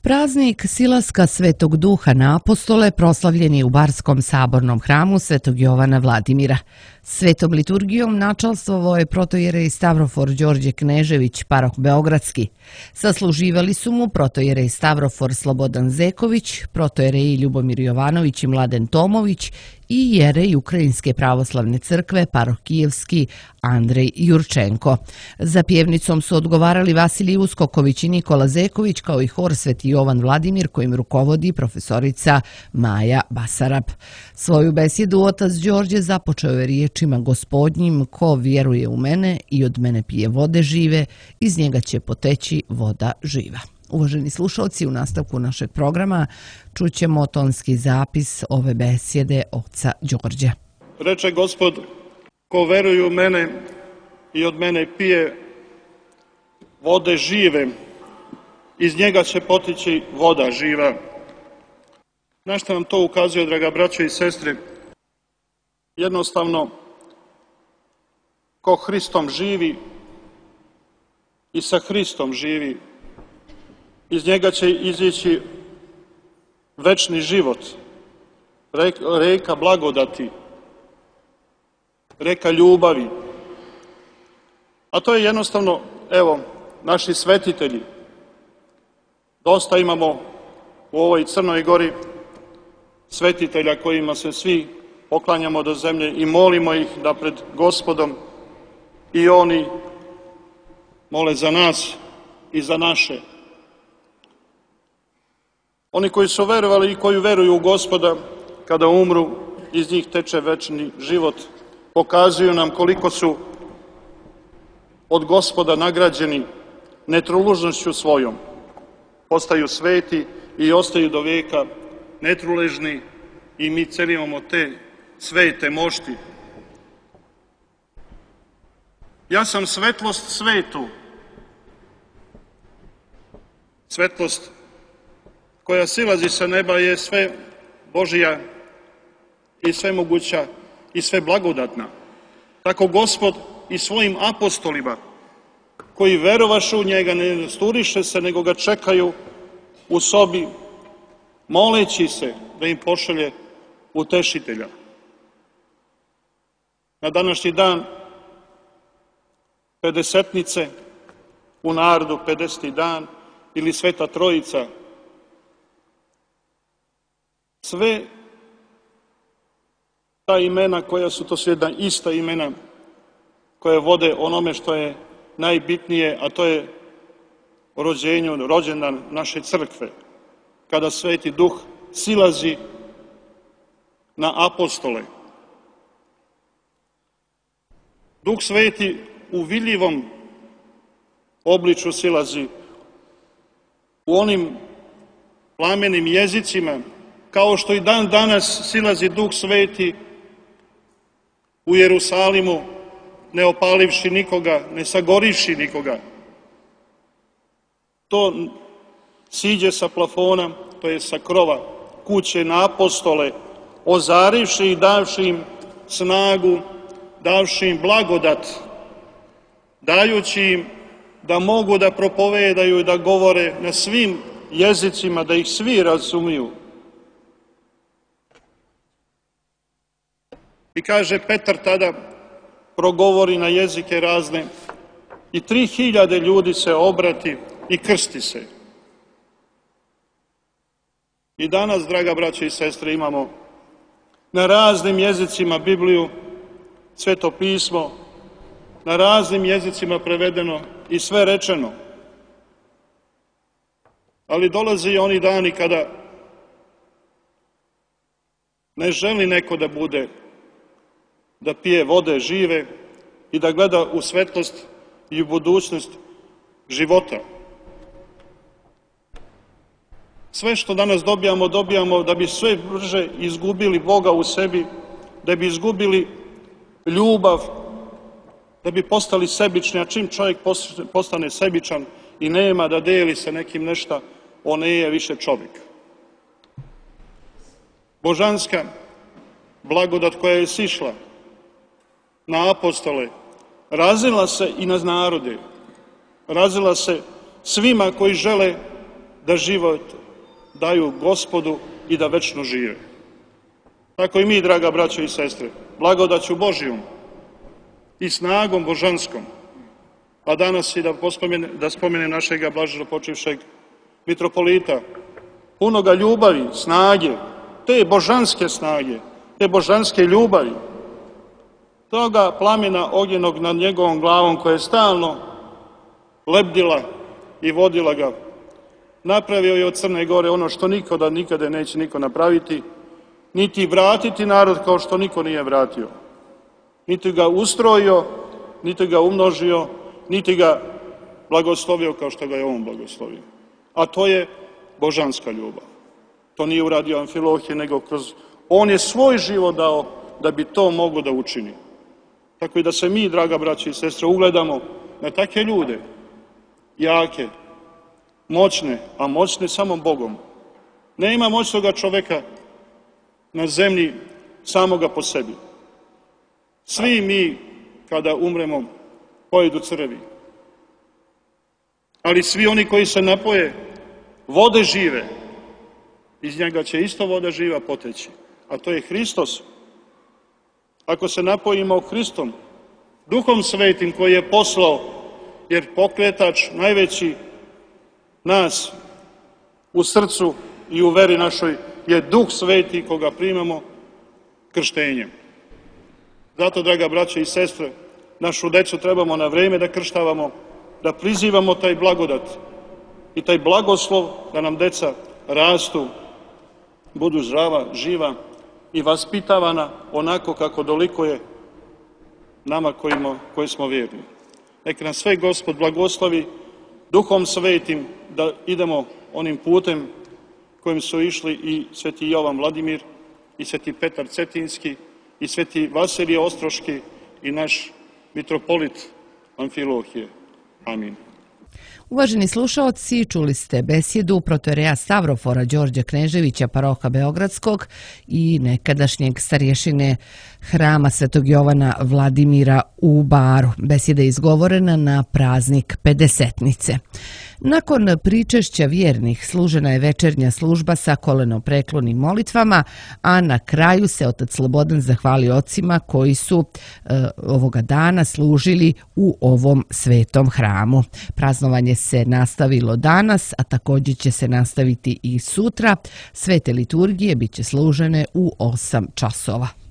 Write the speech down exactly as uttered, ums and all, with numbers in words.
Praznik silaska Svetog Duha na apostole proslavljen je u Barskom sabornom hramu Svetog Jovana Vladimira. Svetom liturgijom načalstvovao je protojerej Stavrofor Đorđe Knežević, paroh Beogradski. Sasluživali su mu protojerej Stavrofor Slobodan Zeković, protojereji Ljubomir Jovanović i Mladen Tomović i jerej Ukrajinske pravoslavne crkve, paroh Kijevski Andrej Jurčenko. Za pjevnicom su odgovarali Vasilij Uskoković i Nikola Zeković, kao i hor Sveti Jovan Vladimir, kojim rukovodi profesorica Maja Basarab. Svoju besjedu otac Đorđe započeo je riječima Gospodnjim: ko vjeruje u mene i od mene pije vode žive, iz njega će poteći voda živa. Uvaženi slušalci, u nastavku našeg programa čućemo tonski zapis ove besjede oca Đorđe. Reče Gospod: ko veruje u mene i od mene pije vode žive, iz njega će poteći voda živa. Na što nam to ukazuje, draga braćo i sestre? Jednostavno, ko Hristom živi i sa Hristom živi, iz njega će izići večni život, reka blagodati, reka ljubavi. A to je jednostavno, evo, naši svetitelji. Dosta imamo u ovoj Crnoj Gori svetitelja kojima se svi poklanjamo do zemlje i molimo ih da pred Gospodom i oni mole za nas i za naše. Oni koji su verovali i koji veruju u Gospoda, kada umru, iz njih teče večni život. Pokazuju nam koliko su od Gospoda nagrađeni netrulužnošću svojom. Postaju sveti i ostaju do vijeka netruležni i mi celimo te svete mošti. Ja sam svetlost svetu. Svetlost koja silazi sa neba je sve Božija i sve moguća i sve blagodatna. Tako Gospod i svojim apostolima, koji verovaše u njega, ne nasturiše se, nego ga čekaju u sobi, moleći se da im pošalje utešitelja. Na današnji dan Pedesetnice, u narodu pedeseti dan, ili Sveta Trojica, sve ta imena koja su, to su jedna ista imena koje vode onome što je najbitnije, a to je rođenju, rođendan naše crkve, kada Sveti Duh silazi na apostole. Duh Sveti u vidljivom obliču silazi u onim plamenim jezicima, kao što i dan danas silazi Duh Sveti u Jerusalimu, ne opalivši nikoga, ne sagorivši nikoga. To siđe sa plafona, to je sa krova kuće na apostole, ozarivši i davši im snagu, davši im blagodat, dajući im da mogu da propovedaju i da govore na svim jezicima, da ih svi razumiju. I kaže Petar tada, progovori na jezike razne i tri hiljade ljudi se obrati i krsti se. I danas, draga braćo i sestre, imamo na raznim jezicima Bibliju, Sveto pismo, na raznim jezicima prevedeno i sve rečeno. Ali dolaze i oni dani kada ne želi neko da bude, da pije vode žive i da gleda u svetlost i u budućnost života. Sve što danas dobijamo, dobijamo da bi sve brže izgubili Boga u sebi, da bi izgubili ljubav, da bi postali sebični, a čim čovjek postane sebičan i nema da deli sa nekim nešto, on nije više čovjek. Božanska blagodat koja je sišla na apostole, razila se i na narode, razila se svima koji žele da život daju Gospodu i da večno žive. Tako i mi, draga braćo i sestre, blagodaću Božijom i snagom božanskom, a danas i da, pospomene, da spomene našega blaženopočivšeg mitropolita, punoga ljubavi, snage, te božanske snage, te božanske ljubavi, toga plamena ognjenog nad njegovom glavom koja je stalno lebdila i vodila ga. Napravio je od Crne Gore ono što nikada, nikada neće niko napraviti, niti vratiti narod kao što niko nije vratio. Niti ga ustrojio, niti ga umnožio, niti ga blagoslovio kao što ga je on blagoslovio. A to je božanska ljubav. To nije uradio Amfilohije, nego kroz... On je svoj život dao da bi to moglo da učini. Tako i da se mi, draga braći i sestre, ugledamo na takve ljude, jake, moćne, a moćne samo Bogom. Nema moćnoga čoveka na zemlji samoga po sebi. Svi mi, kada umremo, pojedu crvi. Ali svi oni koji se napoje vode žive, iz njega će isto voda živa poteći. A to je Hristos. Ako se napojimo Hristom, Duhom Svetim koji je poslao, jer pokretač najveći nas u srcu i u veri našoj je Duh Sveti koga primamo krštenjem. Zato, draga braće i sestre, našu decu trebamo na vreme da krštavamo, da prizivamo taj blagodat i taj blagoslov da nam deca rastu, budu zdrava, živa i vaspitavana onako kako dolikuje nama kojima, koji smo vjerni. Neka nas sve Gospod blagoslovi Duhom Svetim da idemo onim putem kojim su išli i sveti Jovan Vladimir, i sveti Petar Cetinski, i sveti Vasilije Ostroški, i naš mitropolit Amfilohije. Amin. Uvaženi slušaoci, čuli ste besjedu protoijereja Stavrofora Đorđa Kneževića, paroha Beogradskog i nekadašnjeg starješine hrama Svetog Jovana Vladimira u Baru. Besjeda je izgovorena na praznik Pedesetnice. Nakon pričešća vjernih služena je večernja služba sa kolenopreklonim molitvama, a na kraju se otac Slobodan zahvalio ocima koji su e, ovoga dana služili u ovom svetom hramu. Praznovanje se nastavilo danas, a također će se nastaviti i sutra. Svete liturgije bit će služene u osam časova.